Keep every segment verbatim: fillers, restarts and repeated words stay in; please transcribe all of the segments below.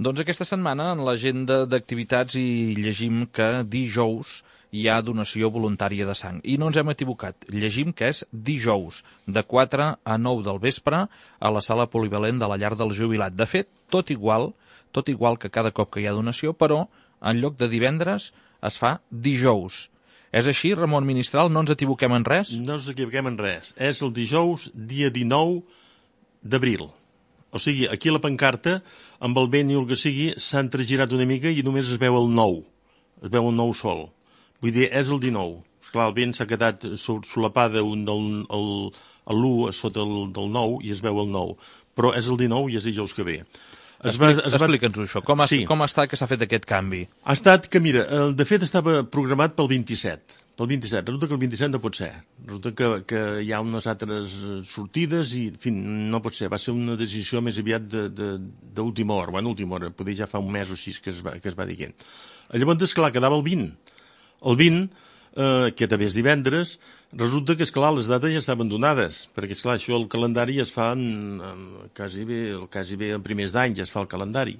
Doncs aquesta setmana en l'agenda d'activitats hi llegim que dijous hi ha donació voluntària de sang. I no ens hem equivocat. Llegim que és dijous, de quatre a nou del vespre, a la sala polivalent de la Llar del Jubilat. De fet, tot igual, tot igual que cada cop que hi ha donació, però en lloc de divendres es fa dijous. És així, Ramon Ministral? No ens equivoquem en res? No ens equivoquem en res. És el dijous, dia dinou d'abril. O sigui, aquí a la pancarta, amb el vent i el que sigui, s'ha entregirat una mica i només es veu el nou. Es veu el nou sol. Vull dir, és el dinou. Esclar, el vent s'ha quedat solapada un del l'u sota el del nou i es veu el nou. Però és el dinou i és dijous que ve. Explica'ns-ho, això. Com, sí. com està que s'ha fet aquest canvi? Ha estat que, mira, de fet estava programat pel vint-i-set. Pel vint-i-set. Resulta que el vint-i-set no pot ser. Resulta que, que hi ha unes altres sortides i, en fi, no pot ser. Va ser una decisió més aviat d'última hora. Bueno, última hora. Poder ja fa un mes o així que es va, que es va dient. Llavors, esclar, quedava el vint. El vint, eh, que també és divendres, resulta que, esclar, les dates ja estaven donades, perquè, esclar, això el calendari es fa en, en, quasi bé, quasi bé en primers d'any ja es fa el calendari.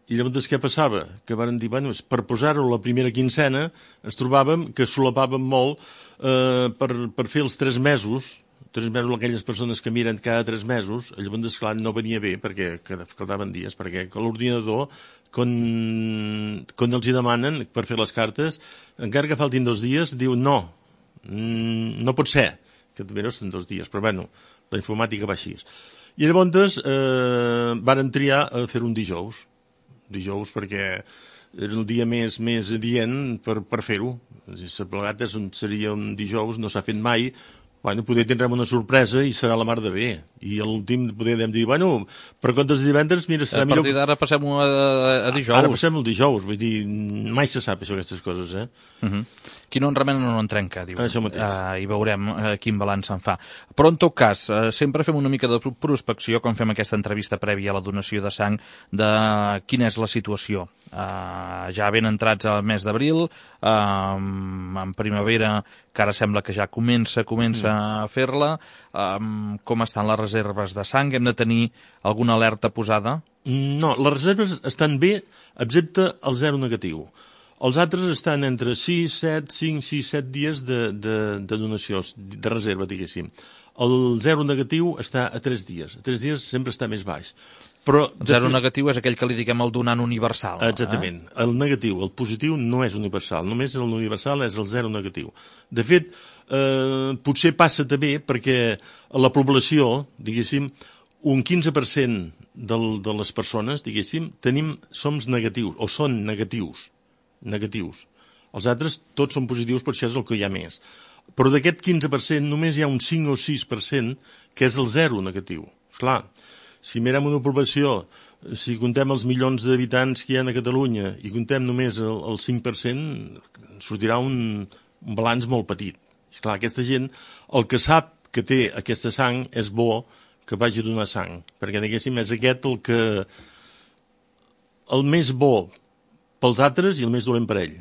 I llavors què passava? Que van dir, bueno, per posar-ho la primera quincena, ens trobàvem que solapàvem molt eh, per, per fer els tres mesos, tres mesos aquelles persones que miren cada tres mesos, llavors, esclar, no venia bé, perquè faltaven dies, perquè l'ordinador, quan, quan els hi demanen per fer les cartes, encara que faltin dos dies, diu no, no pot ser, que també no són dos dies, però bueno, la informàtica va així. I llavors eh, vàrem triar a fer un dijous, dijous perquè era el dia més, més adient per, per fer-ho. Si plegat seria un dijous, no s'ha fet mai. Bueno, poder tindrem una sorpresa i serà la mar de bé. I a l'últim poder dir, bueno, per comptes de divendres, mira, serà millor... A partir d'ara passem a, a dijous. Ara passem el dijous, vull dir, mai se sap això, aquestes coses, eh? Uh -huh. Qui no en remena no en trenca, diu. Això mateix. Uh, I veurem uh, quin balanç se'n fa. Però, en tot cas, uh, sempre fem una mica de prospecció, quan fem aquesta entrevista prèvia a la donació de sang, de quina és la situació. Uh, ja ben entrats al mes d'abril, uh, en primavera, que ara sembla que ja comença, comença mm. a fer-la. Uh, com estan les reserves de sang? Hem de tenir alguna alerta posada? No, les reserves estan bé, excepte el zero negatiu. Els altres estan entre sis, set, cinc, sis, set dies de, de, de donació, de reserva, diguéssim. El zero negatiu està a tres dies. A tres dies sempre està més baix. Però, el zero negatiu és aquell que li diguem el donant universal. Exactament. Eh? El negatiu, el positiu, no és universal. Només l'universal és el zero negatiu. De fet, eh, potser passa també perquè a la població, diguéssim, un quinze per cent del, de les persones, diguéssim, tenim, som negatius, o són negatius. negatius. Els altres tots són positius, per això és el que hi ha més. Però d'aquest quinze per cent només hi ha un cinc o sis per cent que és el zero negatiu. Esclar, si mirem una població, si contem els milions d'habitants que hi ha a Catalunya i contem només el, el cinc per cent, sortirà un, un balanç molt petit. Esclar, aquesta gent, el que sap que té aquesta sang és bo que vagi a donar sang, perquè diguéssim és aquest el que el més bo pels altres i el més dolent per ell.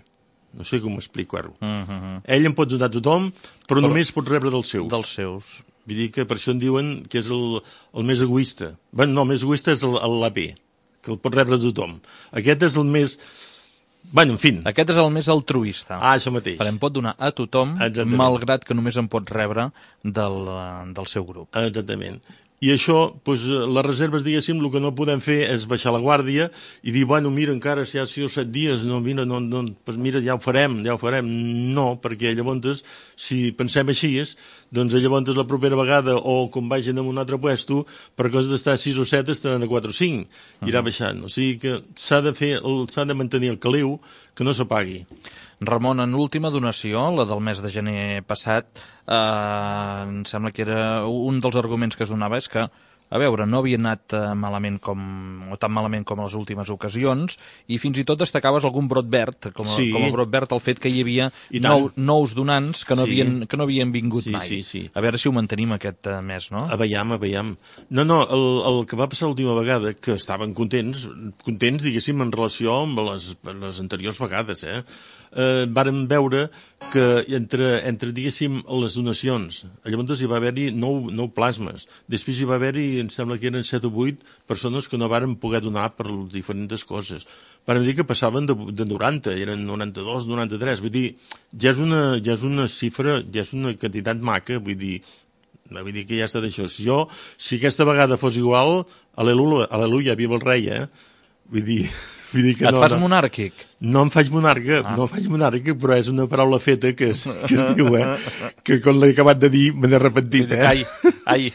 No sé com explicar-ho. Uh -huh. Ell en pot donar a tothom, però, però només pot rebre dels seus. Dels seus. Vull dir que per això en diuen que és el, el més egoista. Bé, no, el més egoista és l'A P, que el pot rebre a tothom. Aquest és el més... Bueno, en fi. Aquest és el més altruista. Ah, això mateix. Però en pot donar a tothom, exactament, malgrat que només en pot rebre del, del seu grup. Exactament. I això, doncs, les reserves, diguéssim, el que no podem fer és baixar la guàrdia i dir, bueno, mira, encara si hi ha sis o set dies, no, mira, no, no, doncs mira, ja ho farem, ja ho farem. No, perquè llavors, si pensem així, doncs llavors la propera vegada, o quan vagin a un altre puesto, per coses d'estar a sis o set, estaran a quatre o cinc, irà baixant. O sigui que s'ha de fer, s'ha de mantenir el caliu, que no s'apagui. Ramon, en l'última donació, la del mes de gener passat, eh, em sembla que era un dels arguments que es donava és que, a veure, no havia anat eh, malament com, o tan malament com a les últimes ocasions, i fins i tot destacaves algun brot verd, com a, sí. com a brot verd el fet que hi havia nou, nous donants que no, sí. havien, que no havien vingut sí, mai. Sí, sí. A veure si ho mantenim aquest uh, mes, no? A veiem, a veiem. No, no, el, el que va passar l'última vegada, que estaven contents, contents, diguéssim, en relació amb les, les anteriors vegades, eh? eh, vàrem veure que entre, entre, diguéssim, les donacions, llavors hi va haver-hi nou, nou plasmes. Després hi va haver-hi, em sembla que eren set o vuit persones que no varen poder donar per les diferents coses. Vàrem dir que passaven de, de noranta, eren noranta-dos, noranta-tres. Vull dir, ja és una, ja és una xifra, ja és una quantitat maca, vull dir, vull dir que ja està d'això. Si jo, si aquesta vegada fos igual, al·leluia, al·leluia, viva el rei, eh? Vull dir... Vull dir que Et no, fas no, monàrquic? No em faig monarca, ah. no em faig monàrquic, però és una paraula feta que es, que es diu, eh? Que quan l'he acabat de dir me n'he repentit, eh? Ai, ai.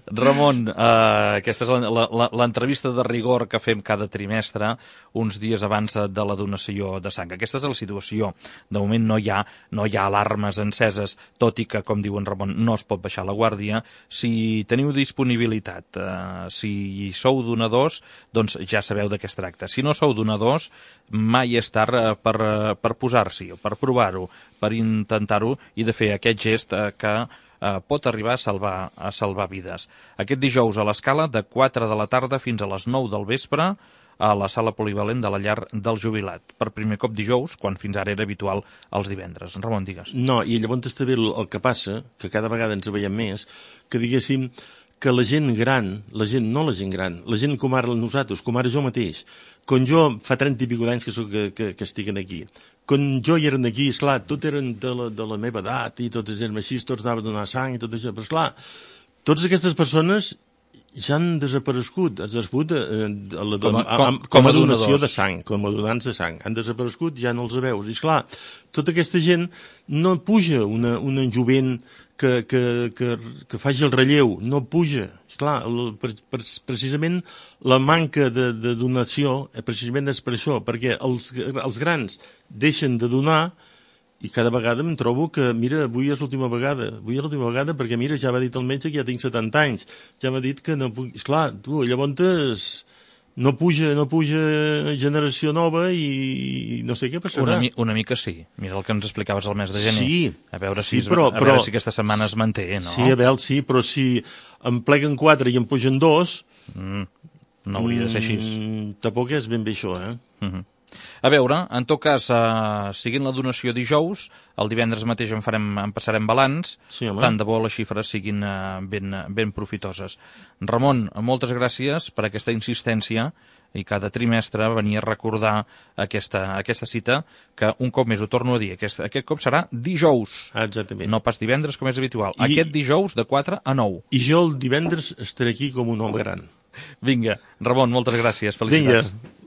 Ramon, eh, aquesta és l'entrevista de rigor que fem cada trimestre, uns dies abans de la donació de sang. Aquesta és la situació. De moment no hi ha, no hi ha alarmes enceses, tot i que, com diu en Ramon, no es pot baixar la guàrdia. Si teniu disponibilitat, eh, si sou donadors, doncs ja sabeu de què es tracta. Si no sou donadors, mai és tard per, per posar-s'hi, per provar-ho, per intentar-ho i de fer aquest gest eh, que Uh, pot arribar a salvar, a salvar vides. Aquest dijous a l'Escala, de quatre de la tarda fins a les nou del vespre, a la sala polivalent de la llar del jubilat. Per primer cop dijous, quan fins ara era habitual els divendres. Ramon, digues. No, i llavors està bé el, el que passa, que cada vegada ens veiem més, que diguéssim que la gent gran, la gent, no la gent gran, la gent com ara nosaltres, com ara jo mateix, quan jo fa trenta i pico d'anys que, soc, que, que, que estic aquí, quan jo hi eren aquí, esclar, tots eren de la, de la meva edat i tots eren així, tots anaven a donar sang i tot això, però esclar, totes aquestes persones ja han desaparegut, han desaparegut eh, a la, com, a, com, com, com a a donació donadors. de sang, com a donants de sang, han desaparegut, ja no els veus, i esclar, tota aquesta gent no puja una, una jovent que, que, que, que faci el relleu, no puja. Esclar, el, per, per, precisament la manca de, de donació precisament és per això, perquè els, els grans deixen de donar i cada vegada em trobo que, mira, avui és l'última vegada, avui és l'última vegada perquè, mira, ja va dit el metge que ja tinc setanta anys, ja m'ha dit que no puc... Esclar, tu, llavors no puja, no puja generació nova i no sé què passarà. Una, mi, una mica sí. Mira el que ens explicaves el mes de gener. Sí, a veure si, sí, però, a veure però, si aquesta setmana es manté, no? Sí, a veure, sí, però si em pleguen quatre i em pugen dos... Mm, no hauria de ser així. Mm, tampoc és ben bé això, eh? Mm -hmm. A veure, en tot cas, eh, seguint la donació dijous, el divendres mateix en, farem, en passarem balanç, sí, tant de bo les xifres siguin eh, ben, ben profitoses. Ramon, moltes gràcies per aquesta insistència i cada trimestre venir a recordar aquesta, aquesta cita, que un cop més ho torno a dir, aquest, aquest cop serà dijous. Exactament. No pas divendres com és habitual. I, aquest dijous de quatre a nou. I jo el divendres estaré aquí com un home gran. Vinga, Ramon, moltes gràcies. Felicitats. Vinga.